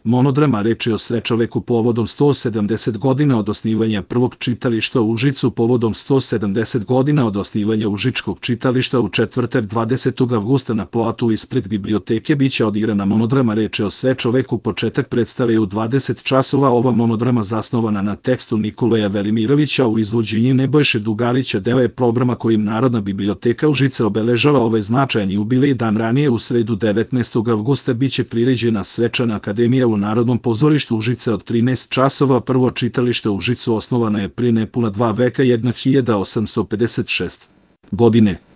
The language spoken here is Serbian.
Monodrama reč je o svečoveku povodom 170 godina od osnivanja prvog čitališta u Užicu, povodom 170 godina od osnivanja Užičkog čitališta u četvrtak 20. avgusta na platu ispred biblioteke biće odigrana monodrama reč je o svečoveku. Početak predstave je u 20 časova. Ova monodrama zasnovana na tekstu Nikolaja Velimirovića u izvođenju Nebojše Dugarića deo je programa kojim Narodna biblioteka Užice obeležava ovaj značajan jubilej. Dan ranije, u sredu 19. avgusta, biće priređena svečana akademija u Narodnom pozorištu Užice od 13 časova. Prvo čitalište u Užicu osnovano je prije nepuna 2 veka 1856. godine.